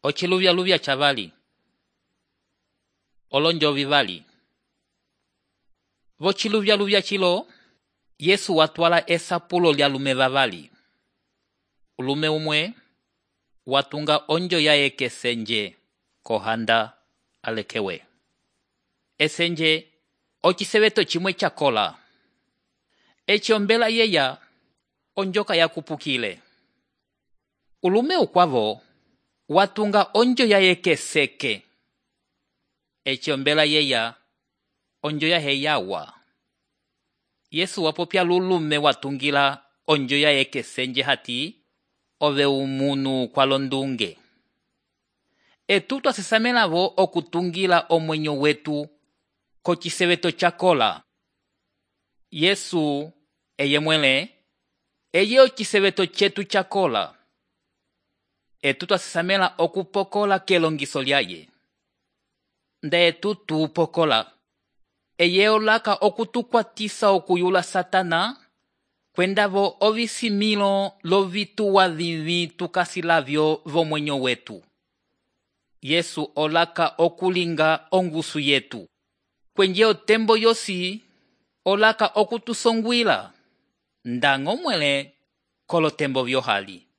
Ociluvyaluvya chavali. Olonjo vivali. Vociluvyaluvya cilo, Yesu watwala esapulo lya lume vavali. Ulume umwe watunga onjo yaye kesenje kohanda alekewe. Esenje ociseveto chimwe chakola. Echiombela yeya onjoka yakupukile. Ulume ukwavo watunga onjo yaye keseke. Echiombela yeya onjo yahe yawa. Yesu wapopya lulume watungila onjo yaye kesenje hati ove umunu kwa londunge. Etu twasisamelavo okutungila omwenyo wetu kociseveto chakola. Yesu eye mwele eye ociseveto chetu chakola. Etu twasisamela okupokola kelongiso lyaye. Nda etu tupokola. Eye olaka okutukwatisa okuyula Satana kwendavo ovisimilo lovituwa vivi tukasilavyo vomwenyo wetu. Yesu olaka okulinga ongusu yetu. Kwenje otembo yosi olaka okutusongwila. Ndango mwele kolotembo vyohali.